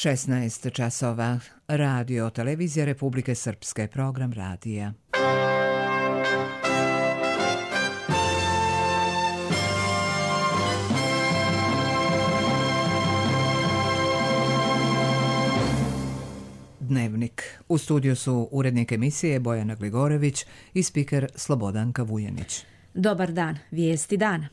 16 časova. Radio Televizija Republike Srpske, program radija. Dnevnik. U studiju su urednik emisije Bojana Gligorević i spiker Slobodanka Vujanić. Dobar dan, vijesti dana.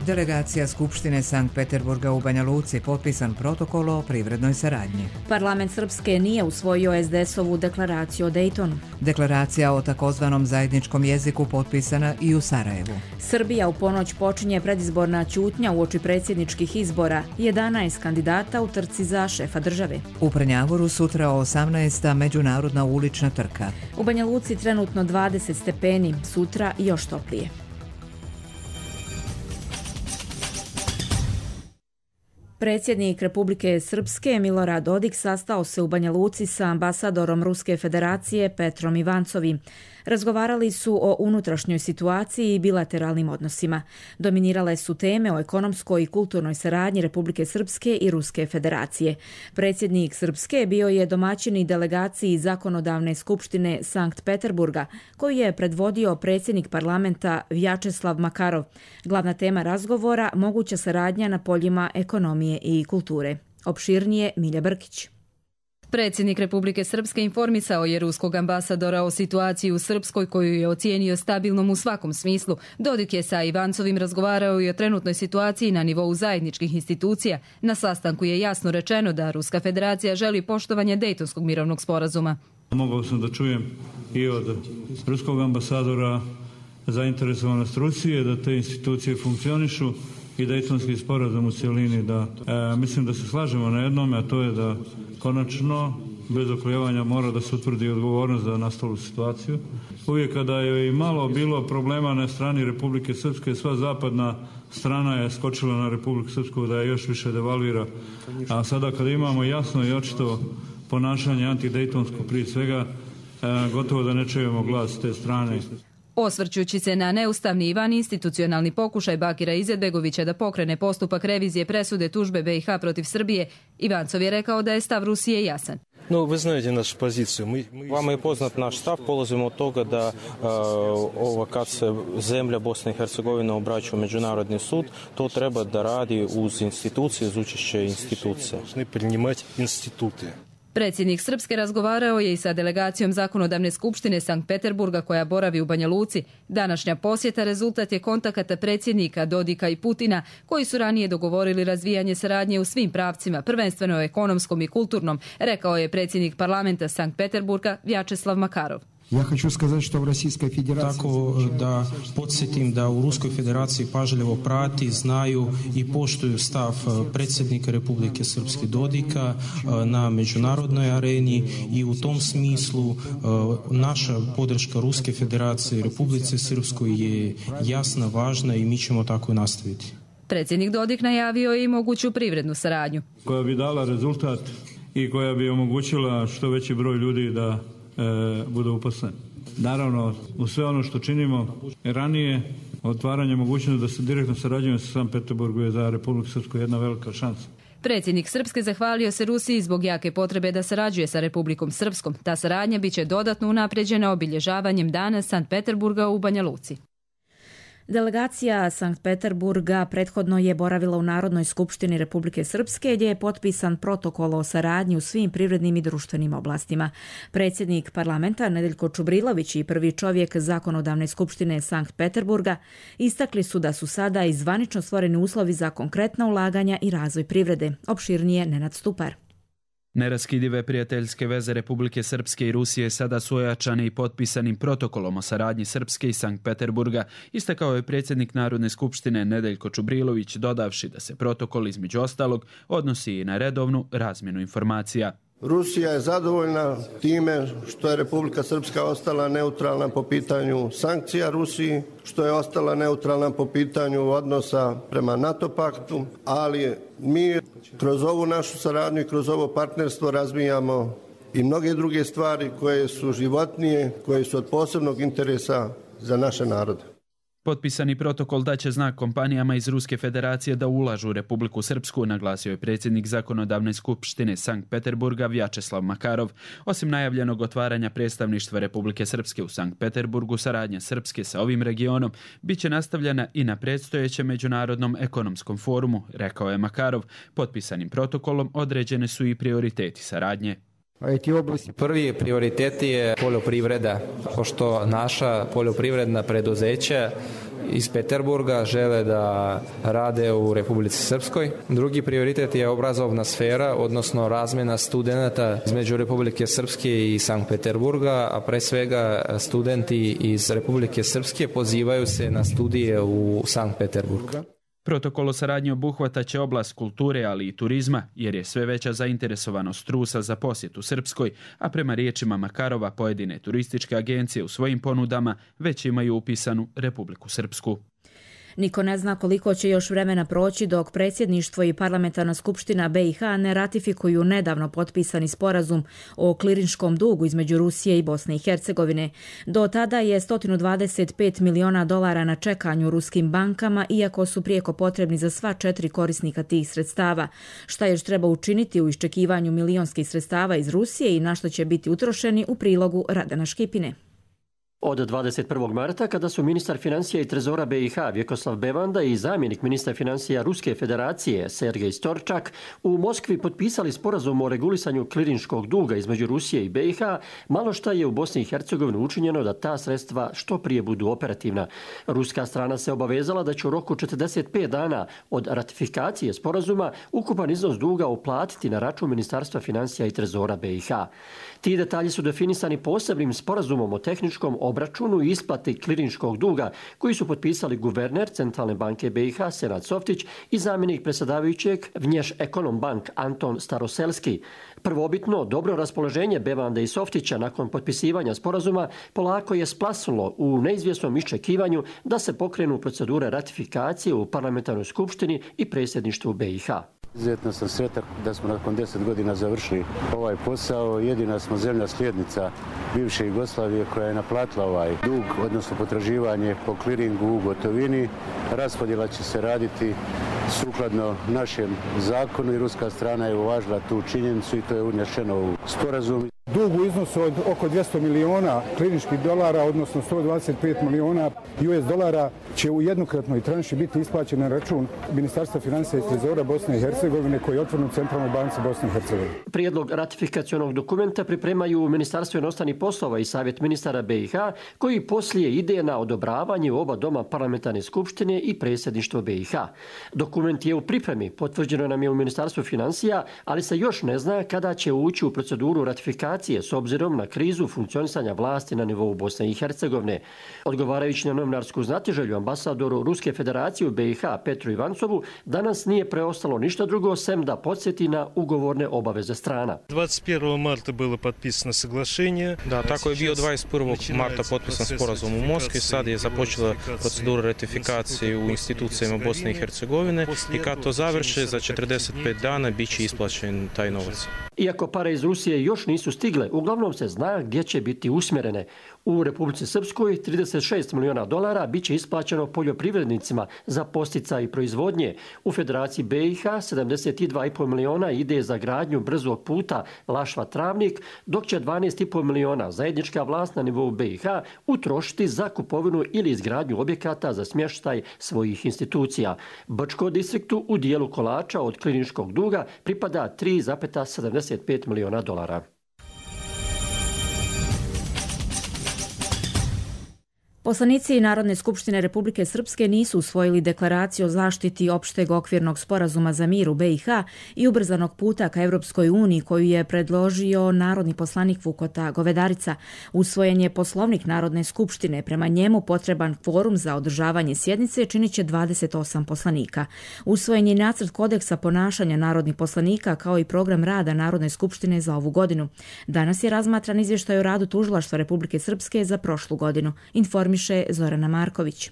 Delegacija Skupštine Sankt Peterburga u Banja Luci, potpisan protokol o privrednoj saradnji. Parlament Srpske nije usvojio SDS-ovu deklaraciju o Dejtonu. Deklaracija o takozvanom zajedničkom jeziku potpisana i u Sarajevu. Srbija u ponoć počinje predizborna ćutnja uoči predsjedničkih izbora. 11 kandidata u trci za šefa države. U Prnjavoru sutra 18. međunarodna ulična trka. U Banja Luci trenutno 20 stepeni, sutra još toplije. Predsjednik Republike Srpske Milorad Dodik sastao se u Banja Luci sa ambasadorom Ruske federacije Petrom Ivancovim. Razgovarali su o unutrašnjoj situaciji i bilateralnim odnosima. Dominirale su teme o ekonomskoj i kulturnoj saradnji Republike Srpske i Ruske federacije. Predsjednik Srpske bio je domaćin i delegaciji Zakonodavne skupštine Sankt Peterburga, koju je predvodio predsjednik parlamenta Vjačeslav Makarov. Glavna tema razgovora – moguća saradnja na poljima ekonomije i kulture. Opširnije Milja Brkić. Predsjednik Republike Srpske informisao je ruskog ambasadora o situaciji u Srpskoj koju je ocijenio stabilnom u svakom smislu. Dodik je sa Ivancovim razgovarao i o trenutnoj situaciji na nivou zajedničkih institucija. Na sastanku je jasno rečeno da Ruska federacija želi poštovanje Dejtonskog mirovnog sporazuma. Mogao sam da čujem i od ruskog ambasadora zainteresovanost Rusije da te institucije funkcionišu i Dejtonski sporazum u cjelini, da mislim da se slažemo na jednome, a to je da konačno bez oklevanja mora da se utvrdi odgovornost za nastalu situaciju. Uvijek kada je i malo bilo problema na strani Republike Srpske, sva zapadna strana je skočila na Republiku Srpsku da je još više devalvira. A sada kada imamo jasno i očito ponašanje antidejtonsko prije svega, gotovo da ne čujemo glas te strane. Osvrćući se na neustavni i vaninstitucionalni pokušaj Bakira Izetbegovića da pokrene postupak revizije presude tužbe BiH protiv Srbije, Ivancov je rekao da je stav Rusije jasan. No, vi znate našu poziciju. Vama je poznat naš stav. Polazimo od toga da kad se zemlja Bosna i Hercegovina obraća u Međunarodni sud, to treba da radi uz institucije, uz učešće institucija. Ne prijimati institute. Predsjednik Srpske razgovarao je i sa delegacijom Zakonodavne skupštine Sankt Peterburga koja boravi u Banja Luci. Današnja posjeta rezultat je kontakata predsjednika Dodika i Putina koji su ranije dogovorili razvijanje saradnje u svim pravcima, prvenstveno ekonomskom i kulturnom, rekao je predsjednik parlamenta Sankt Peterburga Vjačeslav Makarov. Ja hoću skazati što u Rusijskoj federaciji... Tako da podsjetim da u Ruskoj federaciji pažljivo prati, znaju i poštuju stav predsjednika Republike Srpske Dodika na međunarodnoj areni i u tom smislu naša podrška Ruske federacije i Republike Srpskoj je jasna, važna i mi ćemo tako nastaviti. Predsjednik Dodik najavio i moguću privrednu saradnju. Koja bi dala rezultat i koja bi omogućila što veći broj ljudi da bude uposlen. Naravno, u sve ono što činimo ranije, otvaranje mogućnosti da se direktno sarađujemo sa Sankt Peterburgu je za Republiku Srpsku jedna velika šansa. Predsjednik Srpske zahvalio se Rusiji zbog jake potrebe da sarađuje sa Republikom Srpskom. Ta saradnja biće dodatno unaprijeđena obilježavanjem dana Sankt Peterburga u Banja Luci. Delegacija Sankt Peterburga prethodno je boravila u Narodnoj skupštini Republike Srpske gdje je potpisan protokol o saradnji u svim privrednim i društvenim oblastima. Predsjednik parlamenta Nedeljko Čubrilović i prvi čovjek Zakonodavne skupštine Sankt Peterburga istakli su da su sada i zvanično stvoreni uslovi za konkretna ulaganja i razvoj privrede. Opširnije Nenad Stupar. Neraskidive prijateljske veze Republike Srpske i Rusije sada su ojačane i potpisanim protokolom o saradnji Srpske i Sankt Peterburga, istakao je predsjednik Narodne skupštine Nedeljko Čubrilović, dodavši da se protokol između ostalog odnosi i na redovnu razmjenu informacija. Rusija je zadovoljna time što je Republika Srpska ostala neutralna po pitanju sankcija Rusiji, što je ostala neutralna po pitanju odnosa prema NATO paktu, ali mi kroz ovu našu saradnju i kroz ovo partnerstvo razvijamo i mnoge druge stvari koje su životnije, koje su od posebnog interesa za naše narode. Potpisani protokol daće znak kompanijama iz Ruske federacije da ulažu u Republiku Srpsku, naglasio je predsjednik zakonodavne skupštine Sankt Peterburga Vjačeslav Makarov. Osim najavljenog otvaranja predstavništva Republike Srpske u Sankt Peterburgu, saradnja Srpske sa ovim regionom bit će nastavljena i na predstojećem međunarodnom ekonomskom forumu, rekao je Makarov. Potpisanim protokolom određene su i prioriteti saradnje. Prvi prioritet je poljoprivreda, pošto naša poljoprivredna preduzeća iz Peterburga žele da rade u Republici Srpskoj. Drugi prioritet je obrazovna sfera, odnosno razmjena studenata između Republike Srpske i Sankt Peterburga, a pre svega studenti iz Republike Srpske pozivaju se na studije u Sankt Peterburg. Protokol o saradnji obuhvataće oblast kulture, ali i turizma, jer je sve veća zainteresovanost Rusa za posjetu Srpskoj, a prema riječima Makarova pojedine turističke agencije u svojim ponudama već imaju upisanu Republiku Srpsku. Niko ne zna koliko će još vremena proći dok predsjedništvo i parlamentarna skupština BiH ne ratifikuju nedavno potpisani sporazum o klirinškom dugu između Rusije i Bosne i Hercegovine. Do tada je $125 miliona na čekanju ruskim bankama, iako su prijeko potrebni za sva 4 korisnika tih sredstava. Šta još treba učiniti u iščekivanju milionskih sredstava iz Rusije i na što će biti utrošeni, u prilogu Radana Škipine. Od 21. marta, kada su ministar financija i trezora BiH Vjekoslav Bevanda i zamjenik ministra financija Ruske federacije Sergej Storčak u Moskvi potpisali sporazum o regulisanju klirinškog duga između Rusije i BiH, malo šta je u Bosni i Hercegovini učinjeno da ta sredstva što prije budu operativna. Ruska strana se obavezala da će u roku 45 dana od ratifikacije sporazuma ukupan iznos duga uplatiti na račun Ministarstva financija i trezora BiH. Ti detalji su definisani posebnim sporazumom o tehničkom obračunu i isplati klirinškog duga koji su potpisali guverner Centralne banke BiH Senad Softić i zamjenik predsjedavajućeg Vnješ Ekonom Bank Anton Staroselski. Prvobitno dobro raspoloženje Bevande i Softića nakon potpisivanja sporazuma polako je splasnulo u neizvjesnom iščekivanju da se pokrenu procedure ratifikacije u parlamentarnoj skupštini i predsjedništvu BiH. Izuzetno sam sretan da smo nakon 10 godina završili ovaj posao. Jedina smo zemlja slijednica bivše Jugoslavije koja je naplatila ovaj dug, odnosno potraživanje po kliringu u gotovini. Raspodjela će se raditi sukladno našem zakonu i ruska strana je uvažila tu činjenicu i to je unešeno u sporazum. Dug u iznosu od oko 200 miliona kliničkih dolara, odnosno 125 miliona US dolara, će u jednokratnoj tranši biti isplaćen na račun Ministarstva financija i trezora Bosne i Hercegovine koji je otvoren u Centralnoj banci Bosne i Hercegovine. Prijedlog ratifikacionog dokumenta pripremaju Ministarstvo inostranih poslova i Savjet ministara BiH, koji poslije ide na odobravanje u oba doma parlamentarne skupštine i predsjedništvo BiH. Dokument je u pripremi, potvrđeno nam je u Ministarstvu financija, ali se još ne zna kada će ući u proceduru ratifikacije s obzirom na krizu funkcionisanja vlasti na nivou Bosne i Hercegovine. Odgovarajući na novinarsku znatiželju ambasadoru Ruske federacije u BiH Petru Ivancovu, danas nije preostalo ništa drugo sem da podsjeti na ugovorne obaveze strana. 21. marta bilo potpisano saglašenje. Da, tako je bio 21. marta potpisan sporazum u Moskvi. Sad je započela procedura ratifikacije u institucijama Bosne i Hercegovine i kad to završe, za 45 dana bit će isplaćen taj novac. Iako pare iz Rusije još nisu stigle, uglavnom se zna gdje će biti usmjerene. U Republici Srpskoj $36 miliona bit će isplaćeno poljoprivrednicima za posticaj proizvodnje. U Federaciji BiH 72,5 miliona ide za gradnju brzog puta Lašva-Travnik, dok će 12,5 miliona zajednička vlast na nivou BiH utrošiti za kupovinu ili izgradnju objekata za smještaj svojih institucija. Brčko distriktu u dijelu kolača od kliničkog duga pripada $3,75 miliona. Poslanici Narodne skupštine Republike Srpske nisu usvojili deklaraciju o zaštiti opšteg okvirnog sporazuma za mir u BiH i ubrzanog puta ka Europskoj uniji koju je predložio narodni poslanik Vukota Govedarica. Usvojen je poslovnik Narodne skupštine. Prema njemu potreban kvorum za održavanje sjednice činit će 28 poslanika. Usvojen je nacrt kodeksa ponašanja narodnih poslanika kao i program rada Narodne skupštine za ovu godinu. Danas je razmatran izvještaj o radu Tužilaštva Republike Srpske za prošlu godinu. Informiše Zorana Marković.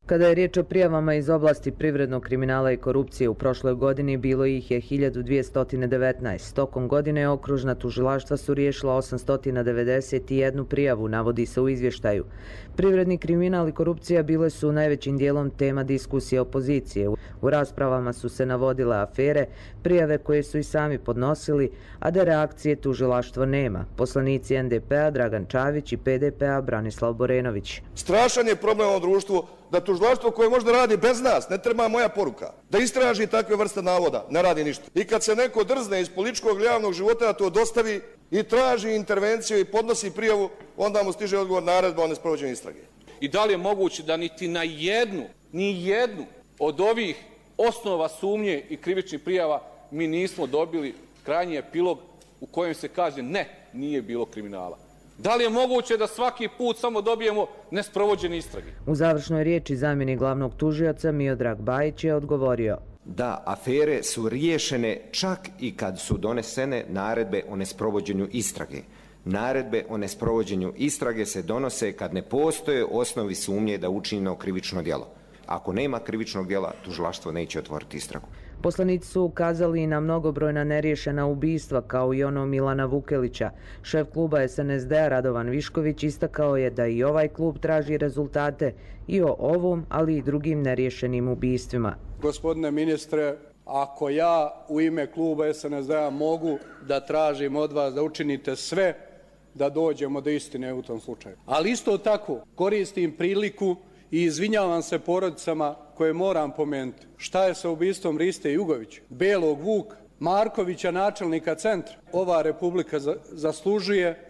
Kada je riječ o prijavama iz oblasti privrednog kriminala i korupcije, u prošloj godini bilo ih je 1219. Tokom godine okružna tužilaštva su riješila 891 prijavu, navodi se u izvještaju. Privredni kriminal i korupcija bile su najvećim dijelom tema diskusije opozicije. U raspravama su se navodile afere, prijave koje su i sami podnosili, a da reakcije tužilaštvo nema. Poslanici NDP-a Dragan Čavić i PDP-a Branislav Borenović. Strašan je problem u društvu da tužilaštvo koje možda radi bez nas, ne treba moja poruka, da istraži takve vrste navoda, ne radi ništa. I kad se neko drzne iz političkog ili javnog života da to dostavi i traži intervenciju i podnosi prijavu, onda mu stiže odgovor naredba o nesprovođenju istrage. I da li je moguće da niti na jednu od ovih osnova sumnje i krivičnih prijava mi nismo dobili krajnji epilog u kojem se kaže ne, nije bilo kriminala? Da li je moguće da svaki put samo dobijemo nesprovođene istrage? U završnoj riječi zamjenik glavnog tužioca Miodrag Bajić je odgovorio da afere su riješene čak i kad su donesene naredbe o nesprovođenju istrage. Naredbe o nesprovođenju istrage se donose kad ne postoje osnovi sumnje da je učinjeno krivično djelo. Ako nema krivičnog djela, tužilaštvo neće otvoriti istragu. Poslanici su ukazali i na mnogobrojna neriješena ubistva, kao i ono Milana Vukelića. Šef kluba SNSD-a Radovan Višković istakao je da i ovaj klub traži rezultate i o ovom, ali i drugim neriješenim ubistvima. Gospodine ministre, ako ja u ime kluba SNSD-a mogu da tražim od vas da učinite sve da dođemo do istine u tom slučaju. Ali isto tako koristim priliku i izvinjavam se porodicama koje moram pomenuti. Šta je sa ubistvom Riste Jugovića, Belog Vuka, Markovića, načelnika centra? Ova republika zaslužuje,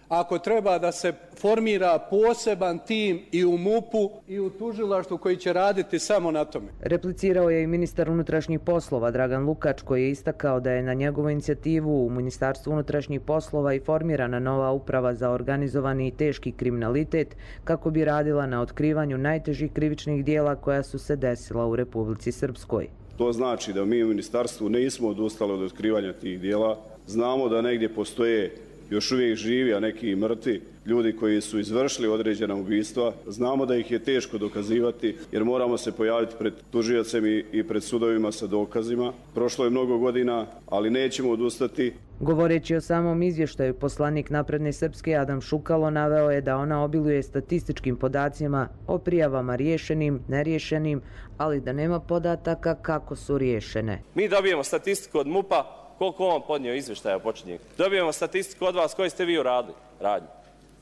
ako treba, da se formira poseban tim i u MUP-u i u tužilaštvu koji će raditi samo na tome. Replicirao je i ministar unutrašnjih poslova Dragan Lukač, koji je istakao da je na njegovu inicijativu u Ministarstvu unutrašnjih poslova i formirana nova uprava za organizovani i teški kriminalitet kako bi radila na otkrivanju najtežih krivičnih dijela koja su se desila u Republici Srpskoj. To znači da mi u ministarstvu nismo odustali od otkrivanja tih dijela. Znamo da negdje postoje još uvijek živi, a neki i mrtvi, ljudi koji su izvršili određena ubistva. Znamo da ih je teško dokazivati jer moramo se pojaviti pred tužiocem i pred sudovima sa dokazima. Prošlo je mnogo godina, ali nećemo odustati. Govoreći o samom izvještaju, poslanik Napredne Srpske Adam Šukalo naveo je da ona obiluje statističkim podacima o prijavama riješenim, neriješenim, ali da nema podataka kako su riješene. Mi dobijemo statistiku od MUP-a koliko on podnio izvještaja početnik. Dobijemo statistiku od vas koji ste vi uradili radnju.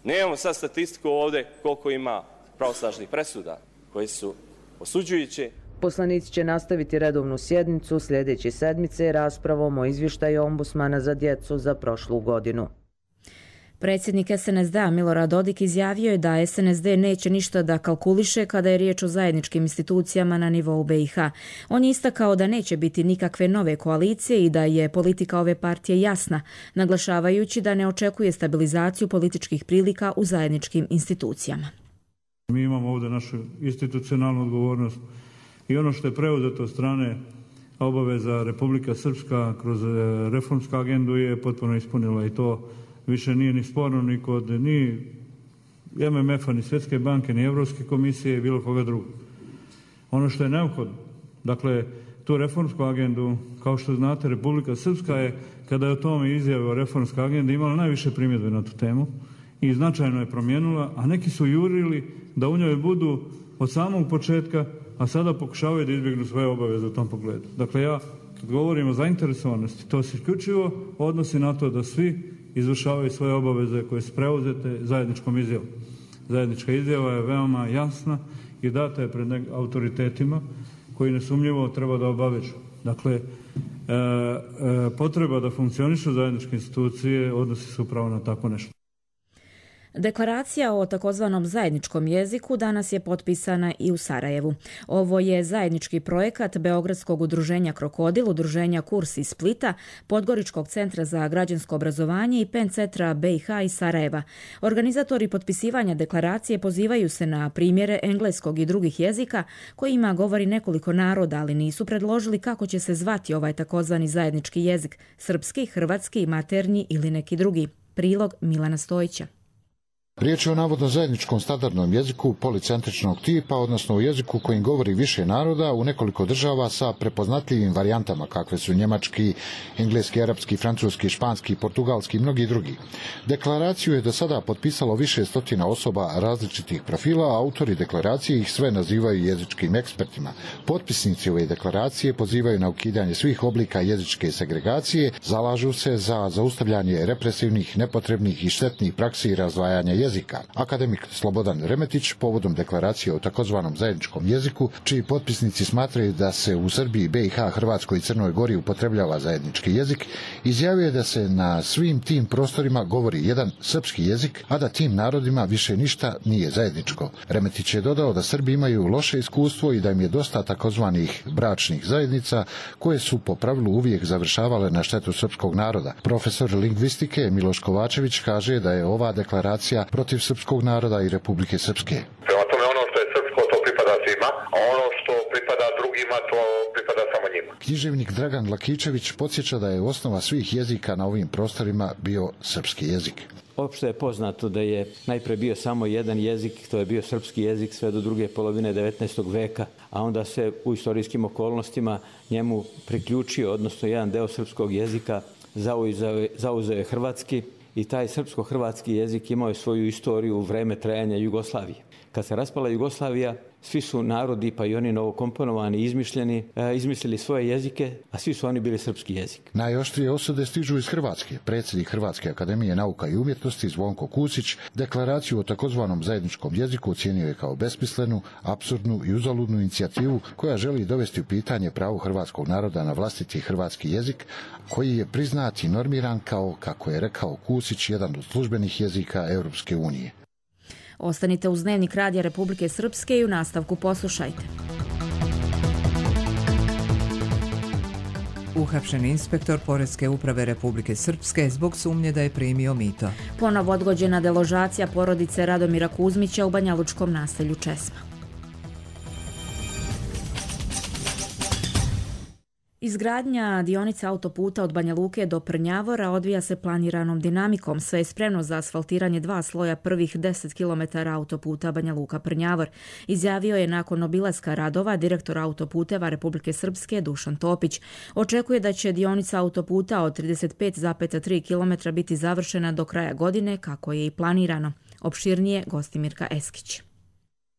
Nemamo sad statistiku ovdje koliko ima pravosnažnih presuda koji su osuđujući. Poslanici će nastaviti redovnu sjednicu sljedeće sedmice raspravom o izvještaju ombudsmana za djecu za prošlu godinu. Predsjednik SNSD-a Milorad Dodik izjavio je da SNSD neće ništa da kalkuliše kada je riječ o zajedničkim institucijama na nivou BiH. On je istakao da neće biti nikakve nove koalicije i da je politika ove partije jasna, naglašavajući da ne očekuje stabilizaciju političkih prilika u zajedničkim institucijama. Mi imamo ovdje našu institucionalnu odgovornost i ono što je preuzeto od strane obaveza Republika Srpska kroz reformsku agendu je potpuno ispunila i to više nije ni sporno ni kod ni MMF-a, ni Svjetske banke, ni Europske komisije i bilo koga drugog. Ono što je neophodno, dakle, tu reformsku agendu, kao što znate, Republika Srpska je, kada je o tome izjavio reformska agenda, imala najviše primjedbe na tu temu i značajno je promijenila, a neki su jurili da u njoj budu od samog početka, a sada pokušavaju da izbjegnu svoje obaveze u tom pogledu. Dakle, ja, kad govorim o zainteresovanosti, to se isključivo odnosi na to da svi izvršavaju svoje obaveze koje su preuzete zajedničkom izjavom. Zajednička izjava je veoma jasna i data je pred autoritetima koji nesumnjivo treba da obavežu. Dakle, potreba da funkcionišu zajedničke institucije odnosi se upravo na tako nešto. Deklaracija o takozvanom zajedničkom jeziku danas je potpisana i u Sarajevu. Ovo je zajednički projekat Beogradskog udruženja Krokodil, udruženja Kurs iz Splita, Podgoričkog centra za građansko obrazovanje i PEN centra BiH i Sarajeva. Organizatori potpisivanja deklaracije pozivaju se na primjere engleskog i drugih jezika kojima govori nekoliko naroda, ali nisu predložili kako će se zvati ovaj takozvani zajednički jezik, srpski, hrvatski, maternji ili neki drugi. Prilog Milana Stojića. Riječ je o navodno zajedničkom standardnom jeziku policentričnog tipa, odnosno o jeziku kojim govori više naroda u nekoliko država sa prepoznatljivim varijantama kakve su njemački, engleski, arapski, francuski, španski, portugalski i mnogi drugi. Deklaraciju je do sada potpisalo više stotina osoba različitih profila, a autori deklaracije ih sve nazivaju jezičkim ekspertima. Potpisnici ove deklaracije pozivaju na ukidanje svih oblika jezičke segregacije, zalažu se za zaustavljanje represivnih, nepotrebnih i štetnih praksi i razdvajanja jezika. Akademik Slobodan Remetić povodom deklaracije o takozvanom zajedničkom jeziku, čiji potpisnici smatraju da se u Srbiji, BiH, Hrvatskoj i Crnoj Gori upotrebljava zajednički jezik, izjavio je da se na svim tim prostorima govori jedan srpski jezik, a da tim narodima više ništa nije zajedničko. Remetić je dodao da Srbi imaju loše iskustvo i da im je dosta takozvanih bračnih zajednica koje su po pravilu uvijek završavale na štetu srpskog naroda. Profesor lingvistike Miloš Kovačević kaže da je ova deklaracija protiv srpskog naroda i Republike Srpske. Prema tome ono što je srpsko to pripada svima, a ono što pripada drugima to pripada samo njima. Književnik Dragan Lakičević podsjeća da je osnova svih jezika na ovim prostorima bio srpski jezik. Opšte je poznato da je najprije bio samo jedan jezik, to je bio srpski jezik sve do druge polovine 19. veka, a onda se u istorijskim okolnostima njemu priključio, odnosno jedan deo srpskog jezika zauzeo je hrvatski. I taj srpsko-hrvatski jezik imao je svoju istoriju u vreme trajanja Jugoslavije. Kad se raspala Jugoslavija, svi su narodi, pa i oni novokomponovani, izmislili svoje jezike, a svi su oni bili srpski jezik. Najoštrije osude stižu iz Hrvatske. Predsjednik Hrvatske akademije nauka i umjetnosti Zvonko Kusić deklaraciju o takozvanom zajedničkom jeziku ocijenio je kao besmislenu, apsurdnu i uzaludnu inicijativu koja želi dovesti u pitanje pravo hrvatskog naroda na vlastiti hrvatski jezik, koji je priznat i normiran kao, kako je rekao Kusić, jedan od službenih jezika Europske unije. Ostanite uz Dnevnik Radija Republike Srpske i u nastavku poslušajte. Uhapšen inspektor Poreske uprave Republike Srpske zbog sumnje da je primio mito. Ponovo odgođena deložacija porodice Radomira Kuzmića u banjalučkom naselju Česma. Izgradnja dionice autoputa od Banja Luke do Prnjavora odvija se planiranom dinamikom. Sve je spremno za asfaltiranje 2 sloja prvih 10 km autoputa Banja Luka-Prnjavor. Izjavio je nakon obilaska radova direktor autoputeva Republike Srpske Dušan Topić. Očekuje da će dionica autoputa od 35,3 km biti završena do kraja godine, kako je i planirano. Opširnije Gostimirka Eskić.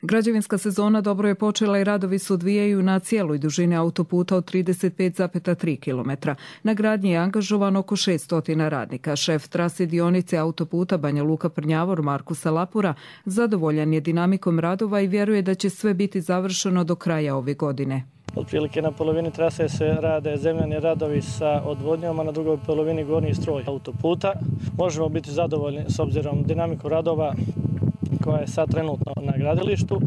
Građevinska sezona dobro je počela i radovi se odvijaju na cijeloj dužini autoputa od 35,3 km. Na gradnji je angažovan oko 600 radnika. Šef trase dionice autoputa Banja Luka-Prnjavor Marko Salapura zadovoljan je dinamikom radova i vjeruje da će sve biti završeno do kraja ove godine. Otprilike na polovini trase se rade zemljani radovi sa odvodnjom, a na drugoj polovini gornji stroj autoputa. Možemo biti zadovoljni s obzirom dinamiku radova koja je sad trenutno na gradilištu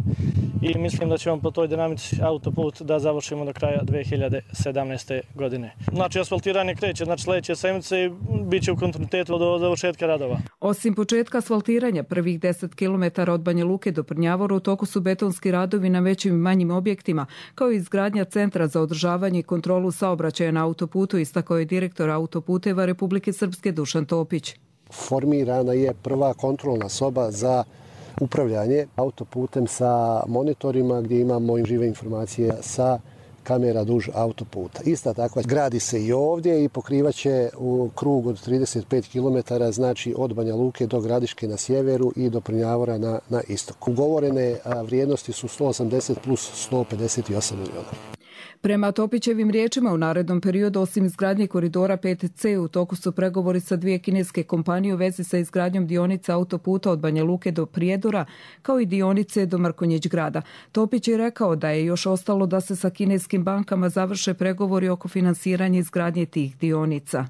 i mislim da ćemo po toj dinamici autoput da završimo do kraja 2017. godine. Znači, asfaltiranje kreće, sljedeće sedmice i bit će u kontinuitetu do završetka radova. Osim početka asfaltiranja prvih 10 km od Banja Luke do Prnjavora u toku su betonski radovi na većim i manjim objektima, kao i izgradnja centra za održavanje i kontrolu saobraćaja na autoputu, istakao je direktor autoputeva Republike Srpske Dušan Topić. Formirana je prva kontrolna soba za upravljanje autoputem sa monitorima gdje imamo žive informacije sa kamera duž autoputa. Ista takva gradi se i ovdje i pokrivaće u krug od 35 km, znači od Banja Luke do Gradiške na sjeveru i do Prnjavora na istoku. Ugovorene vrijednosti su 180 plus 158 milijuna. Prema Topićevim riječima, u narednom periodu, osim izgradnje koridora 5C, u toku su pregovori sa 2 kineske kompanije u vezi sa izgradnjom dionice autoputa od Banja Luke do Prijedora, kao i dionice do Mrkonjić grada. Topić je rekao da je još ostalo da se sa kineskim bankama završe pregovori oko finansiranja izgradnje tih dionica.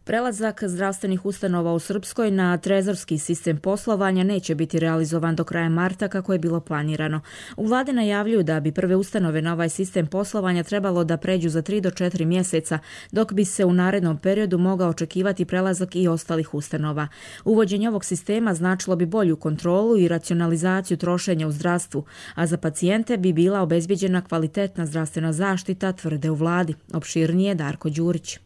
Prelazak zdravstvenih ustanova u Srpskoj na trezorski sistem poslovanja neće biti realizovan do kraja marta kako je bilo planirano. U vladi najavljuju da bi prve ustanove na ovaj sistem poslovanja trebalo da pređu za 3 do 4 mjeseca, dok bi se u narednom periodu mogao očekivati prelazak i ostalih ustanova. Uvođenje ovog sistema značilo bi bolju kontrolu i racionalizaciju trošenja u zdravstvu, a za pacijente bi bila obezbijeđena kvalitetna zdravstvena zaštita, tvrde u vladi. Opširnije Darko Đurić.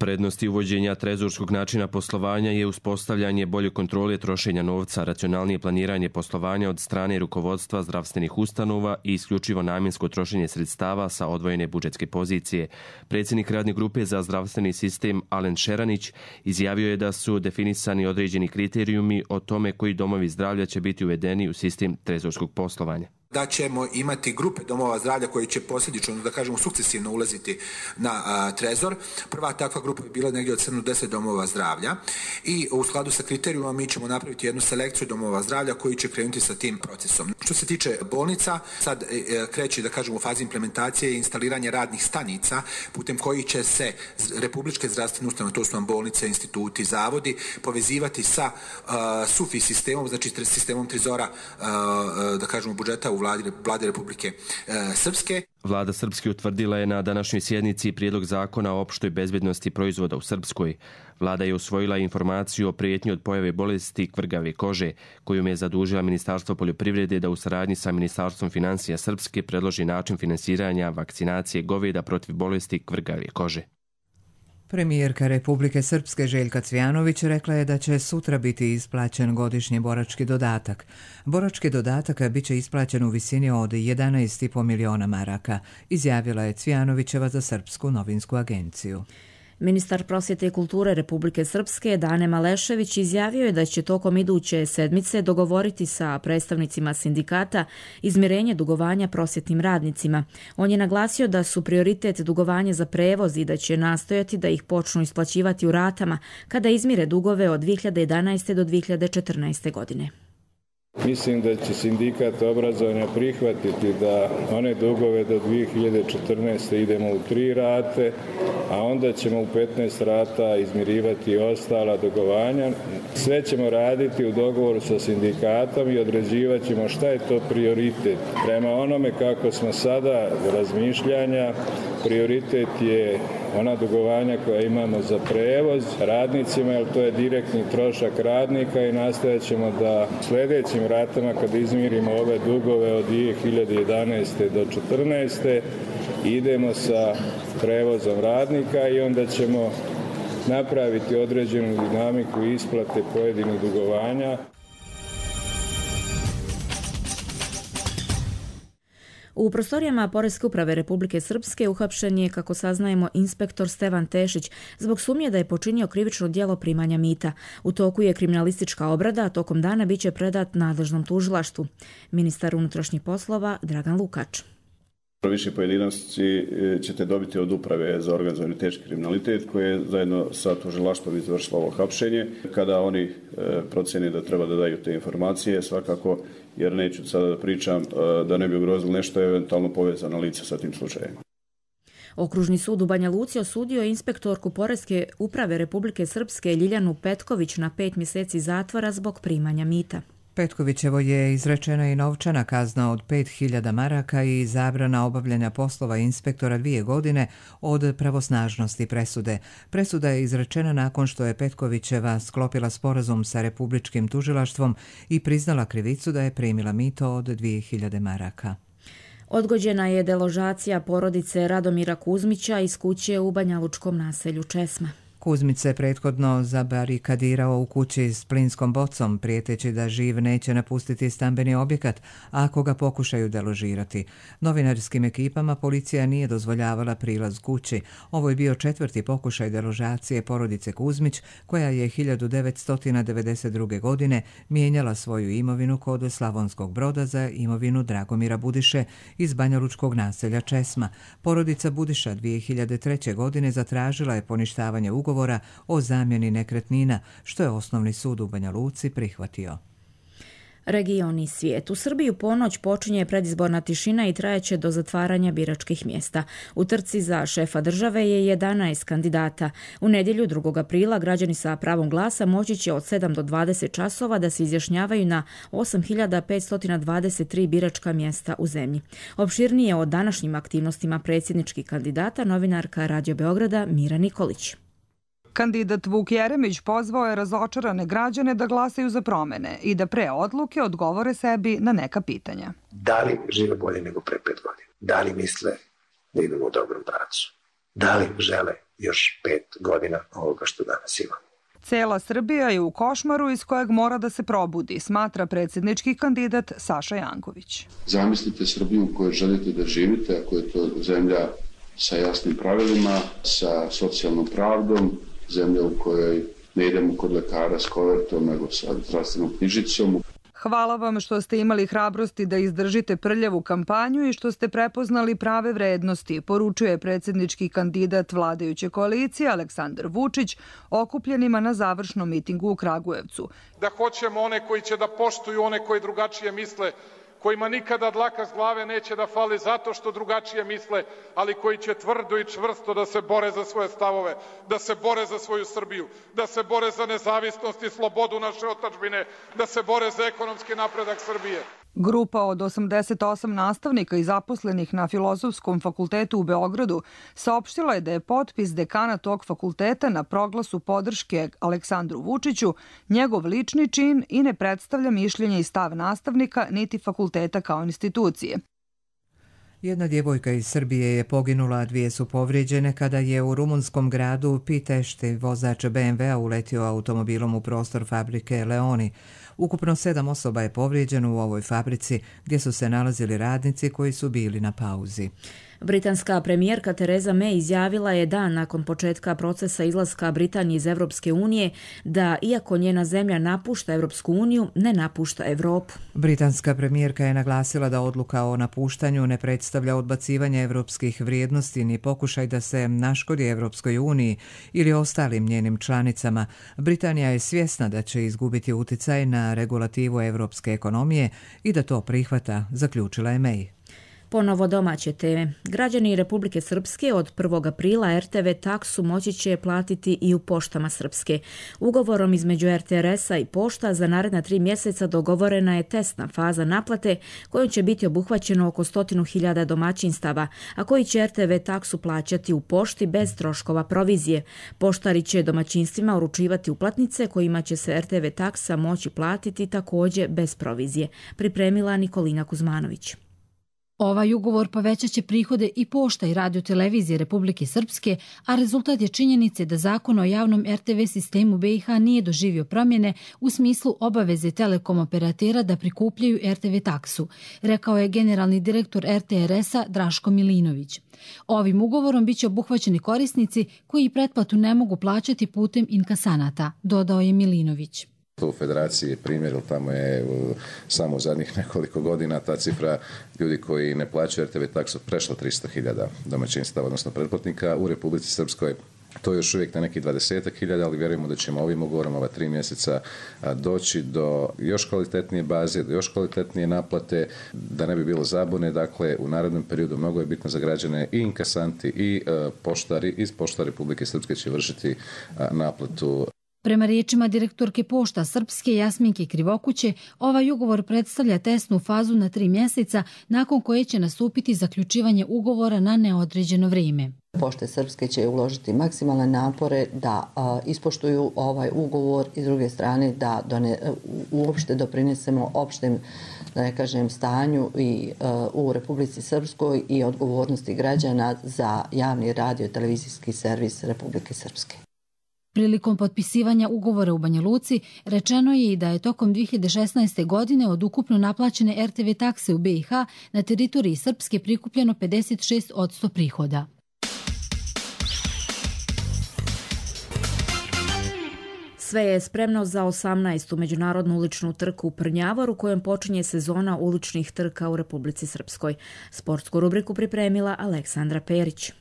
Prednosti uvođenja trezorskog načina poslovanja je uspostavljanje bolje kontrole trošenja novca, racionalnije planiranje poslovanja od strane rukovodstva zdravstvenih ustanova i isključivo namjensko trošenje sredstava sa odvojene budžetske pozicije. Predsjednik radne grupe za zdravstveni sistem Alen Šeranić izjavio je da su definisani određeni kriterijumi o tome koji domovi zdravlja će biti uvedeni u sistem trezorskog poslovanja. Da ćemo imati grupe domova zdravlja koji će posljedično, da kažemo, sukcesivno ulaziti na trezor. Prva takva grupa bi bila negdje od 7 do 10 domova zdravlja i u skladu sa kriterijuma mi ćemo napraviti jednu selekciju domova zdravlja koji će krenuti sa tim procesom. Što se tiče bolnica, sad kreće, da kažemo, u fazi implementacije i instaliranje radnih stanica putem kojih će se republičke zdravstvene ustanove, to su nam bolnice, instituti, zavodi, povezivati sa SUFI sistemom, znači sistemom trezora, da kažemo, budžeta u Vlade Republike Srpske. Vlada Srpske utvrdila je na današnjoj sjednici prijedlog zakona o opštoj bezbednosti proizvoda u Srpskoj. Vlada je usvojila informaciju o prijetnji od pojave bolesti kvrgave kože, kojom je zadužila Ministarstvo poljoprivrede da u saradnji sa Ministarstvom financija Srpske predloži način finansiranja vakcinacije goveda protiv bolesti kvrgave kože. Premijerka Republike Srpske Željka Cvjanović rekla je da će sutra biti isplaćen godišnji borački dodatak. Borački dodatak bit će isplaćen u visini od 11,5 miliona maraka, izjavila je Cvjanovićeva za Srpsku novinsku agenciju. Ministar prosvjete i kulture Republike Srpske Dane Malešević izjavio je da će tokom iduće sedmice dogovoriti sa predstavnicima sindikata izmirenje dugovanja prosvjetnim radnicima. On je naglasio da su prioritet dugovanje za prevoz i da će nastojati da ih počnu isplaćivati u ratama kada izmire dugove od 2011. do 2014. godine. Mislim da će sindikat obrazovanja prihvatiti da one dugove do 2014. idemo u 3 rate, a onda ćemo u 15 rata izmirivati ostala dugovanja. Sve ćemo raditi u dogovoru sa sindikatom i određivat ćemo šta je to prioritet. Prema onome kako smo sada razmišljanja, prioritet je ona dugovanja koja imamo za prevoz radnicima, jer to je direktni trošak radnika i nastojat ćemo da sljedećim ratama kad izmirimo ove dugove od 2011. do 2014. idemo sa prevozom radnika i onda ćemo napraviti određenu dinamiku isplate pojedinih dugovanja. U prostorijama Poreske uprave Republike Srpske uhapšen je, kako saznajemo, inspektor Stevan Tešić zbog sumnje da je počinio krivično djelo primanja mita. U toku je kriminalistička obrada, a tokom dana biće predat nadležnom tužilaštvu. Ministar unutrašnjih poslova Dragan Lukač. Više pojedinosti ćete dobiti od uprave za organizovani teški kriminalitet koje je zajedno sa tužilaštvom izvršilo ovo hapšenje. Kada oni procene da treba da daju te informacije, svakako, jer neću sada da pričam da ne bi ugrozili nešto eventualno povezano lice sa tim slučajem. Okružni sud u Banja Luci osudio inspektorku Poreske uprave Republike Srpske Ljiljanu Petković na 5 mjeseci zatvora zbog primanja mita. Petkovićevo je izrečena i novčana kazna od 5.000 maraka i zabrana obavljanja poslova inspektora 2 godine od pravosnažnosti presude. Presuda je izrečena nakon što je Petkovićeva sklopila sporazum sa Republičkim tužilaštvom i priznala krivicu da je primila mito od 2.000 maraka. Odgođena je deložacija porodice Radomira Kuzmića iz kuće u banjalučkom naselju Česma. Kuzmić se prethodno zabarikadirao u kući s plinskom bocom, prijeteći da živ neće napustiti stambeni objekat ako ga pokušaju deložirati. Novinarskim ekipama policija nije dozvoljavala prilaz kući. Ovo je bio 4. pokušaj deložacije porodice Kuzmić, koja je 1992. godine mijenjala svoju imovinu kod Slavonskog Broda za imovinu Dragomira Budiše iz banjalučkog naselja Česma. Porodica Budiša 2003. godine zatražila je poništavanje ugovora o zamjeni nekretnina, što je Osnovni sud u Banja Luci prihvatio. Region i svijet. U Srbiji u ponoć počinje predizborna tišina i trajeće do zatvaranja biračkih mjesta. U trci za šefa države je 11 kandidata. U nedjelju 2. aprila građani sa pravom glasa moći će od 7 do 20 časova da se izjašnjavaju na 8.523 biračka mjesta u zemlji. Opširnije o današnjim aktivnostima predsjedničkih kandidata novinarka Radio Beograda Mira Nikolić. Kandidat Vuk Jeremić pozvao je razočarane građane da glasaju za promjene i da pre odluke odgovore sebi na neka pitanja. Da li žive bolje nego pre 5 godina? Da li misle da idemo u dobrom pravcu? da li žele još 5 godina ovoga što danas imamo. Cela Srbija je u košmaru iz kojeg mora da se probudi, smatra predsjednički kandidat Saša Janković. Zamislite Srbiju u kojoj želite da živite, ako je to zemlja sa jasnim pravilima, sa socijalnom pravdom, zemlja u kojoj ne idemo kod lekara s kovertom, nego sa zdravstvenom knjižicom. Hvala vam što ste imali hrabrosti da izdržite prljavu kampanju i što ste prepoznali prave vrednosti, poručuje predsjednički kandidat vladajuće koalicije Aleksandar Vučić okupljenima na završnom mitingu u Kragujevcu. Da hoćemo one koji će da poštuju one koji drugačije misle, kojima nikada dlaka s glave neće da fali zato što drugačije misle, ali koji će tvrdo i čvrsto da se bore za svoje stavove, da se bore za svoju Srbiju, da se bore za nezavisnost i slobodu naše otadžbine, da se bore za ekonomski napredak Srbije. Grupa od 88 nastavnika i zaposlenih na Filozofskom fakultetu u Beogradu saopštila je da je potpis dekana tog fakulteta na proglasu podrške Aleksandru Vučiću njegov lični čin i ne predstavlja mišljenje i stav nastavnika niti fakulteta kao institucije. Jedna djevojka iz Srbije je poginula, a 2 su povrijeđene kada je u rumunskom gradu Pitešti vozač BMW-a uletio automobilom u prostor fabrike Leoni. Ukupno 7 osoba je povrijeđeno u ovoj fabrici gdje su se nalazili radnici koji su bili na pauzi. Britanska premijerka Theresa May izjavila je dan nakon početka procesa izlaska Britanije iz Europske unije da, iako njena zemlja napušta Europsku uniju, ne napušta Europu. Britanska premijerka je naglasila da odluka o napuštanju ne predstavlja odbacivanje europskih vrijednosti ni pokušaj da se naškodi Europskoj uniji ili ostalim njenim članicama. Britanija je svjesna da će izgubiti utjecaj na regulativu europske ekonomije i da to prihvata, zaključila je May. Ponovo domaće teme. Građani Republike Srpske od 1. aprila RTV taksu moći će platiti i u poštama Srpske. Ugovorom između RTRS-a i pošta za naredna 3 mjeseca dogovorena je testna faza naplate kojom će biti obuhvaćeno oko 100.000 domaćinstava, a koji će RTV taksu plaćati u pošti bez troškova provizije. Poštari će domaćinstvima uručivati uplatnice kojima će se RTV taksa moći platiti također bez provizije. Pripremila Nikolina Kuzmanović. Ovaj ugovor povećat će prihode i pošta i radiotelevizije Republike Srpske, a rezultat je činjenice da zakon o javnom RTV sistemu BiH nije doživio promjene u smislu obaveze telekom operatera da prikupljaju RTV taksu, rekao je generalni direktor RTRS-a Draško Milinović. Ovim ugovorom biće obuhvaćeni korisnici koji pretplatu ne mogu plaćati putem inkasanata, dodao je Milinović. U federaciji je primjer, tamo je samo u zadnjih nekoliko godina ta cifra ljudi koji ne plaćaju RTV taksu prešla 300.000 domaćinstava, odnosno pretplatnika. U Republici Srpskoj to je još uvijek na nekih 20.000, ali vjerujemo da ćemo ovim ugovorom ova 3 mjeseca doći do još kvalitetnije baze, do još kvalitetnije naplate, da ne bi bilo zabune. Dakle, u narednom periodu mnogo je bitno za građane i inkasanti i poštari iz pošta Republike Srpske će vršiti naplatu. Prema riječima direktorke pošta Srpske Jasminke Krivokuće, ovaj ugovor predstavlja testnu fazu na 3 mjeseca, nakon koje će nastupiti zaključivanje ugovora na neodređeno vrijeme. Pošte Srpske će uložiti maksimalne napore da ispoštuju ovaj ugovor i s druge strane da uopšte doprinesemo opštem, da ne kažem, stanju i u Republici Srpskoj i odgovornosti građana za javni radio i televizijski servis Republike Srpske. Prilikom potpisivanja ugovora u Banja Luci rečeno je i da je tokom 2016. godine od ukupno naplaćene RTV takse u BiH na teritoriji Srpske prikupljeno 56% prihoda. Sve je spremno za 18. međunarodnu uličnu trku u Prnjavoru, kojom počinje sezona uličnih trka u Republici Srpskoj. Sportsku rubriku pripremila Aleksandra Perić.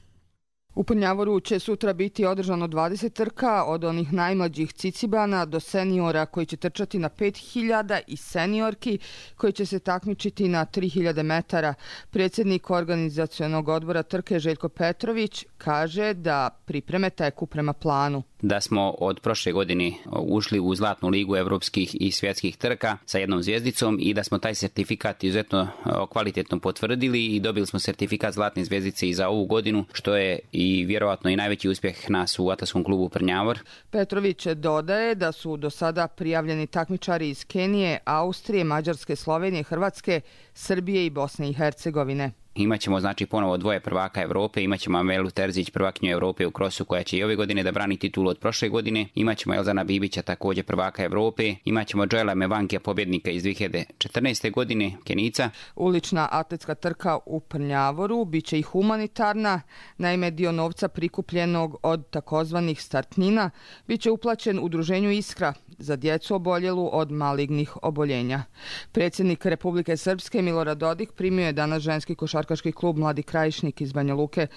U Prnjavoru će sutra biti održano 20 trka, od onih najmlađih cicibana do seniora koji će trčati na 5000 i seniorki koji će se takmičiti na 3000 metara. Predsjednik organizacionog odbora trke Željko Petrović kaže da pripreme teku prema planu. Da smo od prošle godine ušli u Zlatnu ligu evropskih i svjetskih trka sa 1 zvijezdicom i da smo taj sertifikat izuzetno kvalitetno potvrdili i dobili smo sertifikat Zlatne zvijezdice i za ovu godinu, što je i vjerovatno i najveći uspjeh nas u Atletskom klubu Prnjavor. Petrović dodaje da su do sada prijavljeni takmičari iz Kenije, Austrije, Mađarske, Slovenije, Hrvatske, Srbije i Bosne i Hercegovine. Imaćemo znači ponovo dvoje prvaka Evrope, imaćemo Amelu Terzić, prvakinju Evrope u krosu koja će i ove godine da brani titulu od prošle godine, imaćemo Elzana Bibića također prvaka Evrope, imaćemo Joela Mevankija pobjednika iz 2014. godine, Kenica. Ulična atletska trka u Prnjavoru biće i humanitarna, naime dio novca prikupljenog od takozvanih startnina biće uplaćen udruženju Iskra za djecu oboljelu od malignih oboljenja. Predsjednik Republike Srpske Milorad Dodik primio je danas ženski košarkaški klub Mladi Krajišnik iz Banja Luke.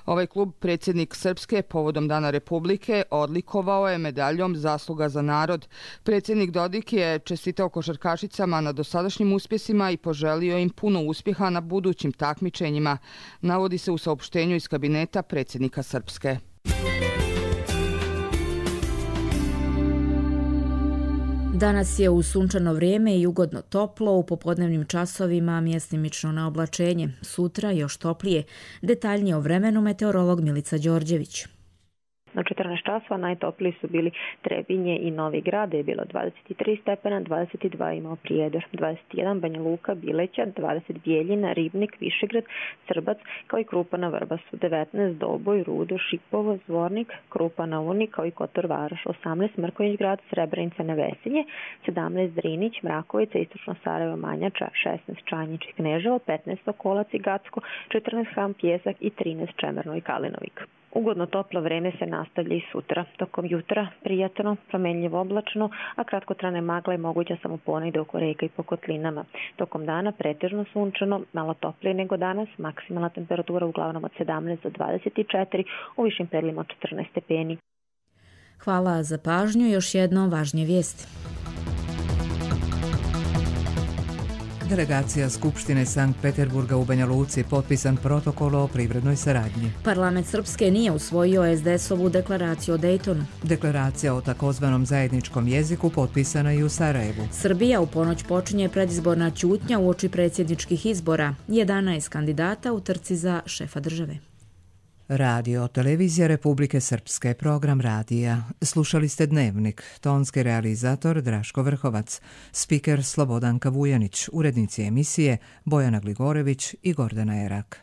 Ovaj klub predsjednik Srpske povodom Dana Republike odlikovao je medaljom Zasluga za narod. Predsjednik Dodik je čestitao košarkašicama na dosadašnjim uspjesima i poželio im puno uspjeha na budućim takmičenjima, navodi se u saopštenju iz kabineta predsjednika Srpske. Danas je uz sunčano vrijeme i ugodno toplo, u popodnevnim časovima mjestimično na oblačenje. Sutra još toplije. Detaljnije o vremenu meteorolog Milica Đorđević. Na 14 časova najtopliji su bili Trebinje i Novi Grad, je bilo 23 stepena, 22 imao Prijedor, 21 Banja Luka, Bileća, 20 Bijeljina, Ribnik, Višegrad, Srbac, kao i Krupa na Vrbasu, 19 Doboj, Rudo, Šipovo, Zvornik, Krupa na Uni, kao i Kotor Varoš, 18 Mrkonjić Grad, Srebrenica, Nevesinje, 17 Drinić, Mrakovica, Istočno Sarajevo, Manjača, 16 Čanjić i Kneževo, 15 Okolac i Gacko, 14 Ham, Pjesak i 13 Čemerno i Kalinovik. Ugodno toplo vreme se nastavlja i sutra. Tokom jutra prijatno, promenljivo oblačno, a kratkotrajne magle je moguća samo ponegde oko reka i po kotlinama. Tokom dana pretežno sunčano, malo toplije nego danas, maksimalna temperatura uglavnom od 17 do 24, u višim predjelima od 14 stepeni. Hvala za pažnju, još jedno važnije vijesti. Delegacija Skupštine Sankt Peterburga u Banja Luci potpisan protokol o privrednoj saradnji. Parlament Srpske nije usvojio SDS-ovu deklaraciju o Dejtonu. Deklaracija o takozvanom zajedničkom jeziku potpisana i u Sarajevu. Srbija u ponoć počinje predizborna ćutnja uoči predsjedničkih izbora. 11 kandidata u trci za šefa države. Radio Televizija Republike Srpske, program radija. Slušali ste Dnevnik, tonski realizator Draško Vrhovac, spiker Slobodanka Vujanić, urednici emisije Bojana Gligorević i Gordana Erak.